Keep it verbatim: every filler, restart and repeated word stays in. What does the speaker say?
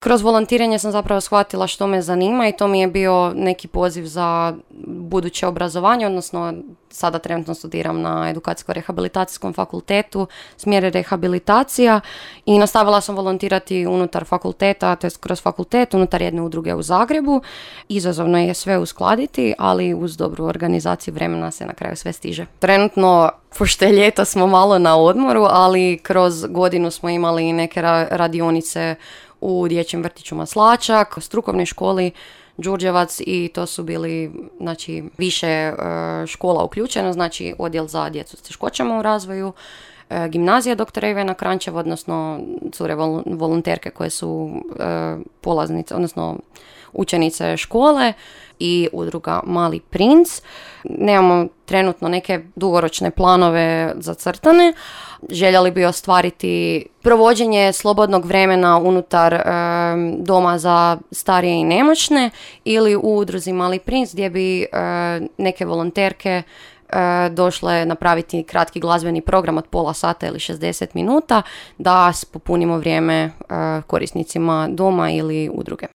Kroz volontiranje sam zapravo shvatila što me zanima i to mi je bio neki poziv za buduće obrazovanje, odnosno sada trenutno studiram na edukacijsko-rehabilitacijskom fakultetu, smjer je rehabilitacija i nastavila sam volontirati unutar fakulteta, to jest kroz fakultet, unutar jedne udruge u Zagrebu. Izazovno je sve uskladiti, ali uz dobru organizaciju vremena se na kraju sve stiže. Trenutno, pošto je ljeto, smo malo na odmoru, ali kroz godinu smo imali neke ra- radionice u dječjem vrtiću Maslačak, strukovnoj školi Đurđevac i to su bili, znači, više uh, škola uključeno, znači odjel za djecu s teškoćama u razvoju, uh, gimnazija doktora Ivana Kranjčeva, odnosno cure vol- volonterke koje su uh, polaznice, odnosno učenice škole i udruga Mali princ. Nemamo trenutno neke dugoročne planove zacrtane. Željeli bi ostvariti provođenje slobodnog vremena unutar e, doma za starije i nemoćne ili u udruzi Mali princ gdje bi e, neke volonterke e, došle napraviti kratki glazbeni program od pola sata ili šezdeset minuta da popunimo vrijeme e, korisnicima doma ili udruge.